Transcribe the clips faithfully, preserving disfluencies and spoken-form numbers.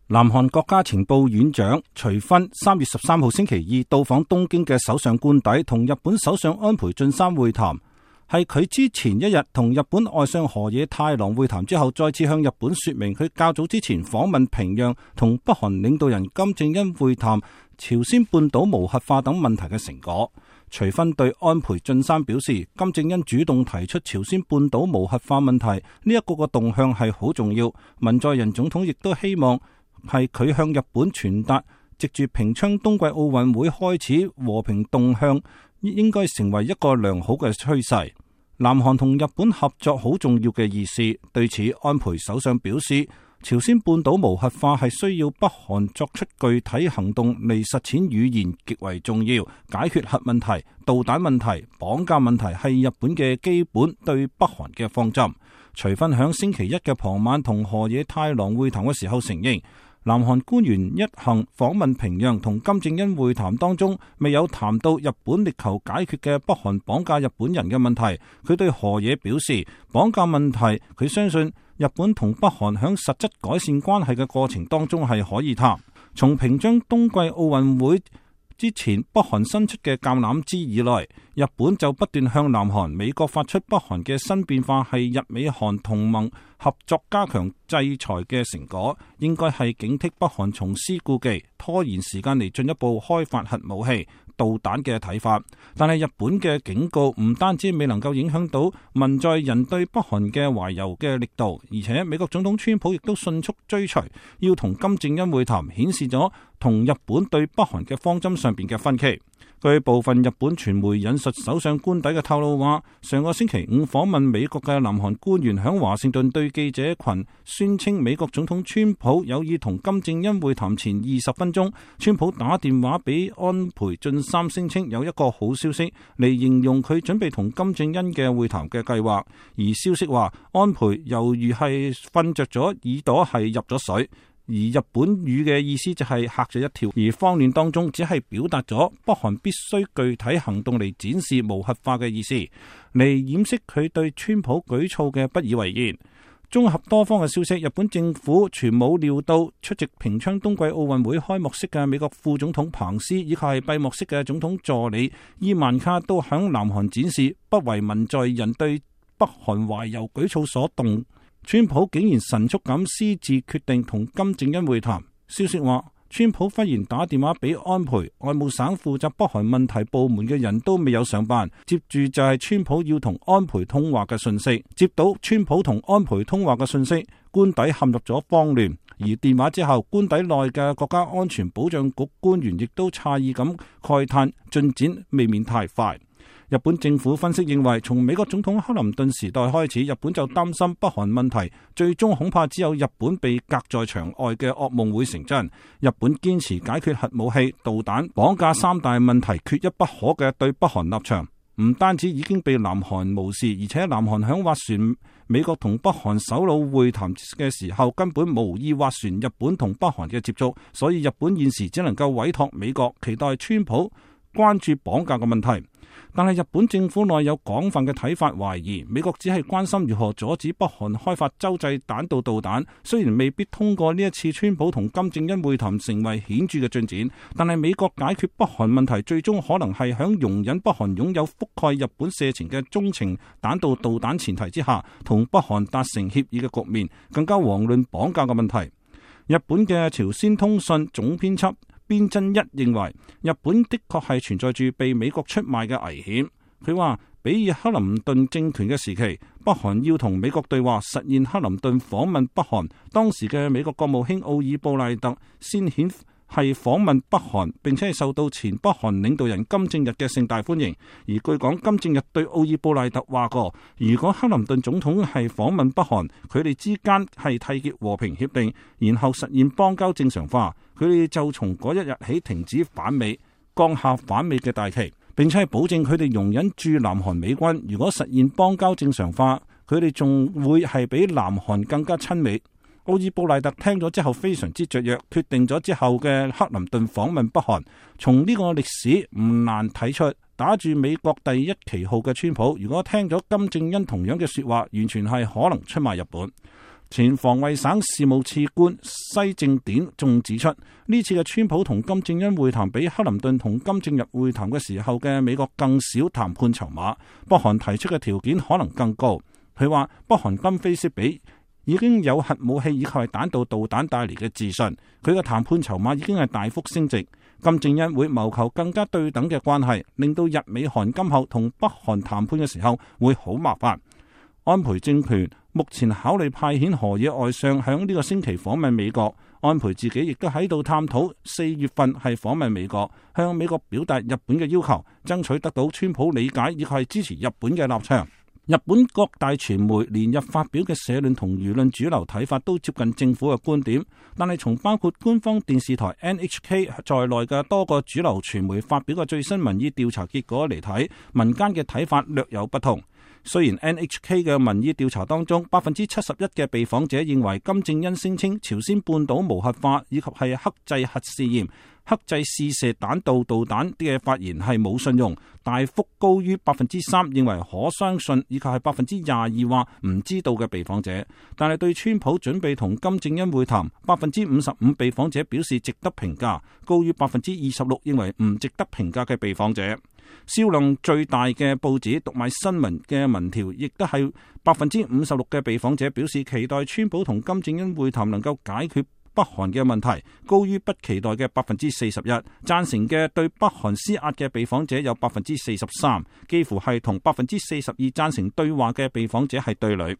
南韓國家情報院長徐薰三月十三號星期二到訪東京嘅首相官邸，同日本首相安倍晉三會談，係佢之前一日同日本外相河野太郎會談之後，再次向日本說明佢較早之前訪問平壤同北韓領導人金正恩會談朝鮮半島無核化等問題嘅成果。徐薰對安倍晉三表示，金正恩主動提出朝鮮半島無核化問題呢一個個動向係好重要，文在寅總統亦都希望係佢向日本傳達，藉住平昌冬季奧運會開始和平動向，應該成為一個良好嘅趨勢。南韓同日本合作好重要嘅意思。對此，安倍首相表示，朝鮮半島無核化係需要北韓作出具體行動嚟實踐，語言極為重要。解決核問題、導彈問題、綁架問題係日本嘅基本對北韓嘅方針。徐薰響星期一嘅傍晚同河野太郎會談嘅時候承認，南韓官員一行訪問平壤同金正恩會談當中，未有談到日本力求解決嘅北韓綁架日本人嘅問題。佢對河野表示，綁架問題佢相信日本同北韓響實質改善關係嘅過程當中係可以談。從平昌冬季奧運會之前北韓伸出嘅橄欖枝以來，日本就不斷向南韓、美國發出北韓嘅新變化係日美韓同盟合作加強制裁嘅成果，應該係警惕北韓重施故技，拖延時間嚟進一步開發核武器、導彈嘅睇法。但係日本嘅警告唔單止未能夠影響到文在寅對北韓嘅懷柔嘅力度，而且美國總統川普亦都迅速追隨，要同金正恩會談，顯示咗同日本對北韓嘅方針上邊嘅分歧。據部分日本傳媒引述首相官邸嘅透露話，上個星期五訪問美國嘅南韓官員響華盛頓對記者群宣稱，美國總統川普有意同金正恩會談前二十分鐘，川普打電話俾安倍晉三，聲稱有一個好消息嚟形容佢準備同金正恩嘅會談嘅計劃。而消息話，安倍猶如係瞓着咗，耳朵係入咗水。而日本語嘅意思就係嚇咗一跳，而慌亂當中只係表達咗北韓必須具體行動嚟展示無核化嘅意思，嚟掩飾佢對川普舉措嘅不以為然。綜合多方嘅消息，日本政府全冇料到出席平昌冬季奧運會開幕式嘅美國副總統彭斯以及係閉幕式嘅總統助理伊萬卡都響南韓展示不為文在寅對北韓懷柔舉措所動。川普竟然神速咁私自決定同金正恩會談。消息話，川普忽然打電話俾安倍，外務省負責北韓問題部門嘅人都未有上班，接住就係川普要同安倍通話嘅訊息。接到川普同安倍通話嘅訊息，官邸陷入咗慌亂。而電話之後，官邸內嘅國家安全保障局官員亦都詫異咁慨嘆，進展未免太快。日本政府分析認為，從美國總統克林頓時代開始，日本就擔心北韓問題最終恐怕只有日本被隔在牆外嘅噩夢會成真。日本堅持解決核武器、導彈、綁架三大問題缺一不可嘅對北韓立場，唔單止已經被南韓無視，而且南韓響斡旋美國同北韓首腦會談嘅時候，根本無意斡旋日本同北韓嘅接觸，所以日本現時只能夠委託美國，期待川普關注綁架嘅問題。但係日本政府內有廣泛嘅睇法，懷疑美國只係關心如何阻止北韓開發洲際彈道導彈。雖然未必通過呢一次川普同金正恩會談成為顯著嘅進展，但係美國解決北韓問題最終可能係響容忍北韓擁有覆蓋日本射程嘅中程彈道導彈前提之下，同北韓達成協議嘅局面。更加遑論綁架嘅問題。日本嘅朝鮮通訊總編輯邊真一認為，日本的確係存在住被美國出賣嘅危險。佢話，比爾克林頓政權嘅時期，北韓要同美國對話，實現克林頓訪問北韓，當時嘅美國國務卿奧爾布賴特先顯係訪問北韓，並且係受到前北韓領導人金正日嘅盛大歡迎。而據講，金正日對奧爾布賴特話過，如果克林頓總統係訪問北韓，佢哋之間係締結和平協定，然後實現邦交正常化，佢哋就從嗰一日起停止反美，降下反美嘅大旗，並且係保證佢哋容忍駐南韓美軍。如果實現邦交正常化，佢哋仲會係比南韓更加親美。奧爾布賴特聽咗之後非常之雀躍，決定咗之後嘅克林頓訪問北韓。從呢個歷史唔難睇出，打住美國第一旗號嘅川普，如果聽咗金正恩同樣嘅說話，完全係可能出賣日本。前防衛省事務次官西正典仲指出，呢次嘅川普同金正恩會談比克林頓同金正日會談嘅時候嘅美國更少談判籌碼，北韓提出嘅條件可能更高。佢話北韓今非昔比，已經有核武器以及係彈道導彈帶嚟嘅自信，佢嘅談判籌碼已經係大幅升值。金正恩會謀求更加對等嘅關係，令到日美韓今後同北韓談判嘅時候會好麻煩。安倍政權目前考慮派遣河野外相響呢個星期訪問美國，安倍自己亦都喺度探討四月份係訪問美國，向美國表達日本嘅要求，爭取得到川普理解以及係支持日本嘅立場。日本各大傳媒連日發表嘅社論同輿論主流睇法都接近政府嘅觀點，但係從包括官方電視台 N H K 在內嘅多個主流傳媒發表嘅最新民意調查結果嚟睇，民間嘅睇法略有不同。雖然 N H K 嘅民意調查當中，百分之七十一嘅被訪者認為金正恩聲稱朝鮮半島無核化以及係克制核試驗、克制試射彈道導彈嘅發言係冇信用，大幅高於百分之三認為可相信以及係百分之廿二話唔知道嘅被訪者。但係對川普準備同金正恩會談，百分之五十五被訪者表示值得評價，高於百分之二十六認為唔值得評價嘅被訪者。銷量最大嘅報紙讀賣新聞嘅民調，亦都係百分之五十六嘅被訪者表示期待川普同金正恩會談能夠解決北韓嘅問題，高於不期待嘅百分之四十一。贊成嘅對北韓施壓嘅被訪者有百分之四十三，幾乎係同百分之四十二贊成對話嘅被訪者係對壘。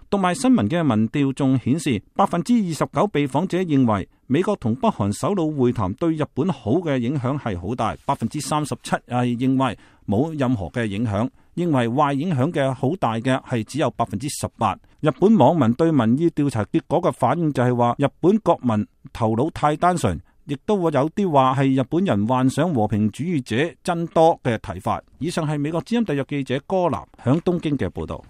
讀賣新聞嘅民調仲顯示，百分之二十九被訪者認為美國同北韓首腦會談對日本好嘅影響係好大，百分之三十七係認為冇任何嘅影響，認為壞影響嘅好大嘅係只有百分之十八。日本網民對民意調查結果嘅反應就係話，日本國民頭腦太單純，亦都會有啲話係日本人幻想和平主義者增多嘅睇法。以上係美國之音特約記者柯南響東京嘅報道。